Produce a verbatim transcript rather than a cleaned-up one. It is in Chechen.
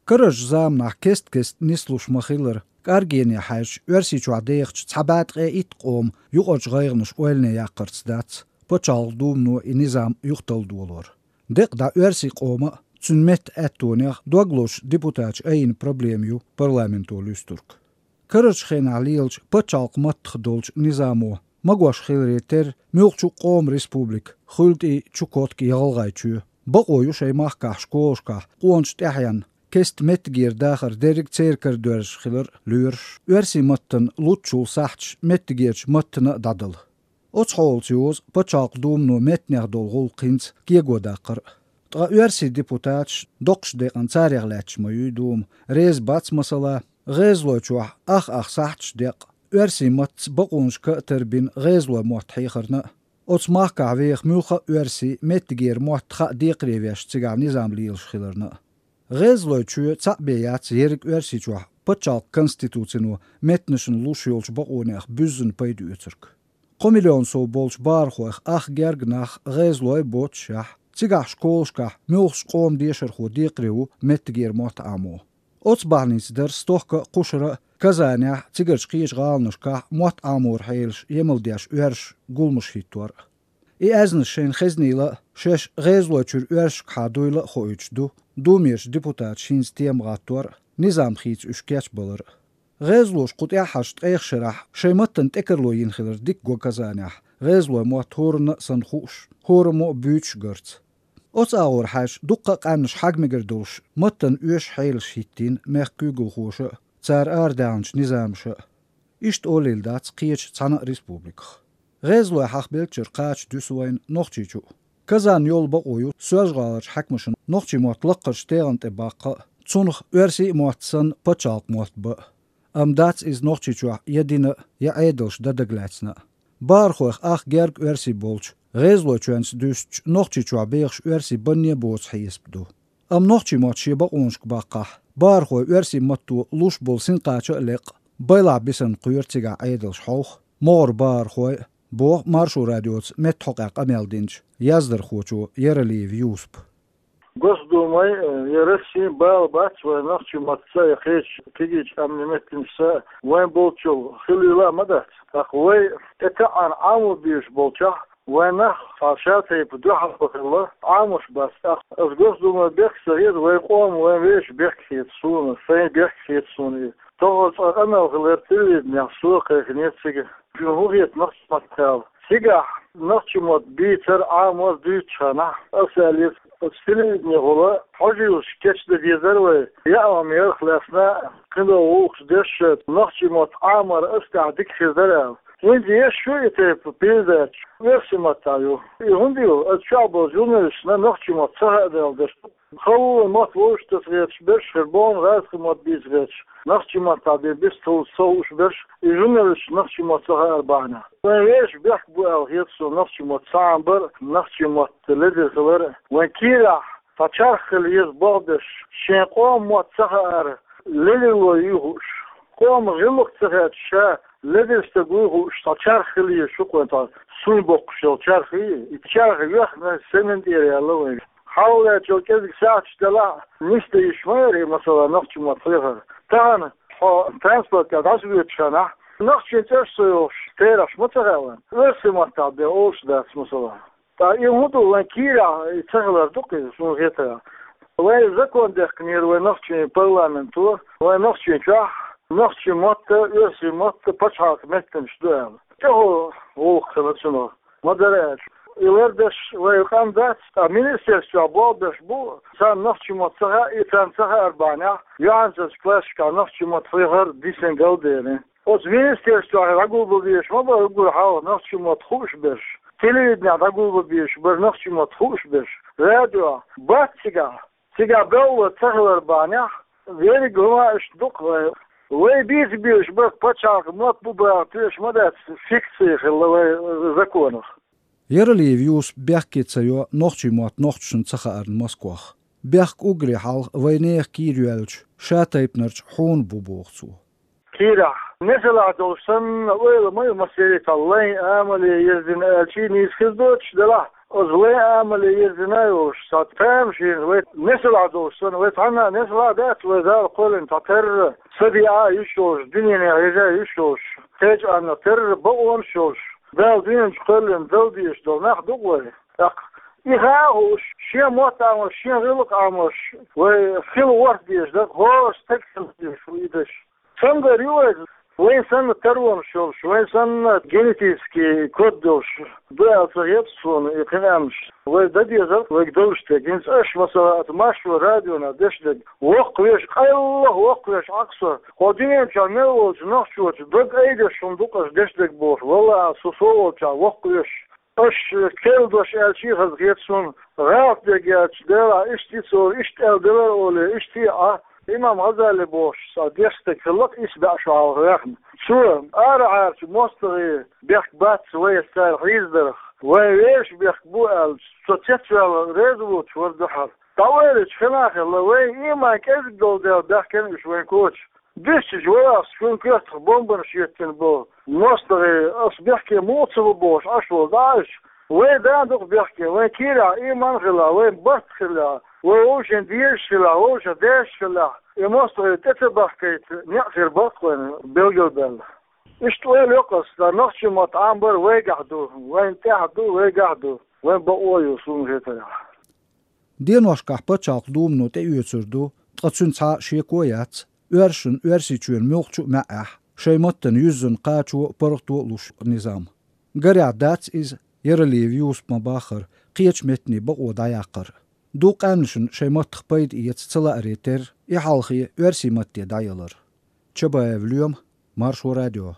Карарчу заманахь кест-кеста нислуш ма-хиллара, кӀаргене хьаьжча, Оьрсийчохь дехачу цхьа бӀе ткъе итт къоман юкъарчу гӀайгӀанаш ойлане яккхарца дац, пачхьалкхан думано и низам юхаталла долор. Декъа дӀа оьрсийн къоман а, цуьнан меттан аьттонех дог лозуш депутаташа айина проблема ю парламенто луьстург. Карарчу хенахь лелачу пачхьалкхан маттах долчу низамо магош хиларе терра, муьлххачу а къоман республика, хуьлда и Чукотка я ГӀалгӀайчоь, бакъо ю шайн махкахь школашкахь къоначу тӀаьхьенна кеста меттигера дахар дерриг а церан кара доьрзуш хилар лоьруш, оьрсийн маттана луччул сахьташ меттигерчу маттана а дӀадала. Оцу хьолаца йоза пачхьалкхан думано меттанех долу гӀуллакх хӀинца кего даккхар а. Ткъа оьрсийн депутаташ, доккхачу декъана царех лаьтташ ма ю и дума, реза бац, масала, ГӀезалойчохь ах-ах сахьташ декъа, оьрсийн маттаца бакъонашка а тарбина гӀезалойн мотт хьехарна а, оцу махкахь веха муьлхха а оьрси меттигера мотт хаа декхаре веш цигахь низам лелаш хиларна а. ГӀезалойчоь цхьаъ бен яц ерриг Оьрсийчохь пачхьалкхан конституцино меттанашна луш йолчу бакъонех буьззина пайда оьцург. Кхо миллион сов болчу бахархойх ах герга нах гӀезалой боццушехь, цигахь школашкахь муьлххачу къоман дешархо декхаре ву меттигера мотт Ӏамо. Оцу бахьаница дара стохка а, кхушара а Казанехь, цигарчу кхечу гӀаланашкахь мотт Ӏаморан хьелаш емал деш оьрсаша гуламаш хӀиттор а. И аьзнаш шайна хезнийла а, шаьш ГӀезалойчуьра оьрсашкахьа дуйла а хоуьйтуш ду, Думерчу депутаташа хӀинца тема гӀаттор а, низам хийца уьш кечбалар а. ГӀезалоша кху тӀаьххьарчу ткъех шарахь шайн маттана тӀекарло йина хилар дика го Казанехь, гӀезалойн мотт хӀоранна а санна хууш, хӀораммо а буьйцуш гарца. Оцу агӀор хьаьжча, дуккха а къаьмнаш хьагмегар долуш, маттана оьшуш хьелаш хӀиттийна мехкан куьйгалхоша а, цара арадаьхначу низамаша а. Иштта олийла дац кхечу цхьана а республиках. ГӀезалой хьахабеллачуьра кхача дуьсу вайна Нохчийчу а. Казанна йолу бакъо ю Соьлжа-ГӀаларчу хьаькамашна нохчийн мотт лаккхарчу тегӀан тӀе баккха а, цунах оьрсийн а мотт санна пачхьалкхан мотт бан а. Амма дац иза Нохчийчохь я дина а, я Ӏедалша дан дагалаьцна а. Бахархойх ах герга оьрси болчу, ГӀезалойчоьнца дуьстичу Нохчийчохь бехаш оьрси банне а боцу хьесап ду. Амма нохчийн мотт шен бакъонашка баккхахь, бахархой оьрсийн матто луш болу синкхача а лекъа, байлахь бисина кхоьру цигахь Ӏедалш хьовха, могӀара бахархой а, боху Маршо радиоца меттахӀокъехь къамел динчу яздархочо Яралиев Юсупа. Госдумай, э, я Россин бала бац вайн нохчийн маттаца я кхечу кегийчу къаьмнийн меттанашца вайн болчул хилийла а ма дац. ТӀаккха вай тӀетаьӀӀана Ӏамо безаш болчохь, вайн нах цхьа шатайпа дуьхьал хилла Ӏамош бац. ТӀаккха аса Госдумай бехк ца хета, вайн къоман вайн вешан бехк хета суна, сайн бехк хета суна и. ТӀаккха цкъа къамел хилира телевиденехь, со кхайкхинера цига. Шуна хӀун хета нохчийн маттахь аьлла? Цигахь нохчийн мотт бийцар, Ӏамор дуьйцучу хенахь, аса аьллера, оцу телевиденехула хьожа йолуш кечдан дезара вай, яа ма-ярх лаьцна, кхидолу гӀуллакхаш деш, нохчийн мотт Ӏамор аса тӀехь дика хир дара аьлла. ХӀинца еш ю и тайпа передача, оьрсийн маттахь ю. И хӀунда ю? Аса чохь болчу журналисташна нохчийн мотт ца хаа дела деш ду. Халонан мотт вовшах таса гӀерташ берш хир, бохург гӀазкхийн мотт бийца гӀерташ, нохчийн маттахь бен бистхула ца хууш берш, и журналисташ нохчийн мотт ца хаар бахьана. Вайн вешан бехк бу аьлла хета суна нохчийн мотт ца Ӏамбар а, нохчийн мотт ледара хилар а. Вайн кийрахь цхьа чарх хила еза бохург берш, шен къоман мотт ца хаар, ледарло юй хууш, къоман гӀиллакх ца хеташ, ша ледара стаг вуй хууш, цхьа чарх хила еза шу-кх вайн, цхьа суй боккхуш йолу чарх, и чарх йоьхна, семен тӀера яьлла вайн. Хьалха лаьттачул кӀезиг сахьташ делахь а, нисдан йиш ма яра и, масала, нохчийн мотт хьехар. Тахана хьо транспортехь дӀасавоьдучу хенахь, нохчийн цӀераш ца йохуш, терахьаш ма ца хаьа вайна. Оьрсийн маттахь бен олуш дац, масала. Ткъа и хӀун ду, вайн кийрахь и ца хилар ду-кх иза, суна хетарехь. Вай закон даьккхинера вайн нохчийн парламенто, вайн Нохчийчохь нохчийн мотт а, оьрсийн мотт а пачхьалкхан меттанаш ду аьлла. ТӀехула гӀуллакх хилла цунах. Ма-дарра аьлча, и лардеш вайн къам дац, ткъа министерствехь болх беш бу, царна нохчийн мотт ца хаьа, и царна ца хаар бахьанехь, юьхьанцарчу классашкахь нохчийн мотт хьехар дисина галдерина. Оцу министерствехь дӀагулбан безаш ма бара уггар хьалха нохчийн мотт хууш берш. Телевиденехь дӀагулбан безаш бара нохчийн мотт хууш берш. Радиохь бац цигахь. Цигахь белхало ца хилар бахьанехь, верриг хӀума иштта ду-кх вайн. Вай бийца безаш бара пачхьалкхан мотт бу баха тоьаш ма дац, фикция хилла вайн законах. Яралиев Юсупа бехке ца йо нохчийн мотт нохчашна ца хаарна Москвахь. Бехк уггаре хьалха вайн нехан кийра йоьллачу шатайпанарчу хьуна бу, боху цо. Кийрахь несалахь долуш санна, ойла ма ю, массеран а цхьа лайн амале ерзина аьлча, нийса хир доцуш делахь, Оз вай амале ерзина йолуш, цхьа тамашийна вай несалахь долуш санна, вай цхьанна несалахь дац, вай Дала кхоьллина цхьа терра, са диа а йиш йолуш, дуьненех еза йиш йолуш, кхечу анна терра бакъонаш йолуш, Дала дуьнен чу кхоьллина дала дезаш долу нах ду-кх вай. ТӀаккха и хаа а хууш, шен мотт Ӏамош, шен гӀиллакх Ӏамош, вай хила ворхӀ дезаш дара, хӀора стаг хила дезаш ву и даш. Цамгар ю вай, вайн санна таронаш йолуш, вайн санна генетический код долуш ду аьлла ца хета суна и кхин аьмнаш. Вай дан дезарх вайга долуш дерг. ХӀинца аша, масала, аса маршо радиона деш дерг. Воккхавеш, къайлаха воккхавеш Ӏа-кх со. Кхо дуьнен чохь мел волчу нохчочу дог айдеш хӀума ду-кх аша деш дерг бохуш. Валлахьа, со со волчохь воккхавеш. Аша керла дош аьлча а хаза хета суна, гӀалат дерг аьлча, Делахь, иштта и цо, иштта аьлла делара олий, иштта а, Ӏа, имам Гъазали бохуш, цхьа деш стаг хилла-кх исс бӀе шо хьалха ваьхна. Цо, арахьарчу мостагӀийн бехк бац вай цара хьийзадарх, вайн вешан бехк бу аьлла, цо цецваьлла реза воцуш вара дуьхьал. ДӀаоьлучу хенахь а хилла, вайн иман кӀезиг долу дела баьхкина уьш вайн коча. Дуьстича, валлахь, шун коьртах бомбанаш еттина болу мостагӀий, аса бехке муха ца ву бохуш Ӏаш волу дӀа а уьш. Вай дан ду-кх бехке, вайн кийрахь иман а хилахь, вайн барт а хилахь, вай вовшийн дезаш хилахь, вовшийн дезаш хилахь, и мостагӀий тӀе ца бахкийта некъ хир бара-кх вайна билгалбаьлла. Иштта ойла йо-кх аса, сан нохчийн мотт Ӏамбар вайгахь ду, вайн тӀехь ду, вайгахь ду, вайн бакъо а ю, суна хетарехь. Деношкахь пачхьалкх думано тӀеоьцур ду, ткъа цуьнан цхьа а шеко а яц, оьрсашна Оьрсийчоьнан муьлххачу а маьӀӀехь шайн маттана юьззина кхачо а, паргӀато а луш низам. Гарехь дац иза, Яралиев Юсупа ма-баххара, кхечу меттанийн бакъо дӀаяккхар. Дукха къаьмнашна шайн маттах пайда эца ца лааре терра и хьалхе оьрсийн матте дӀаялар. Чабаев Лоьма, Маршо радио.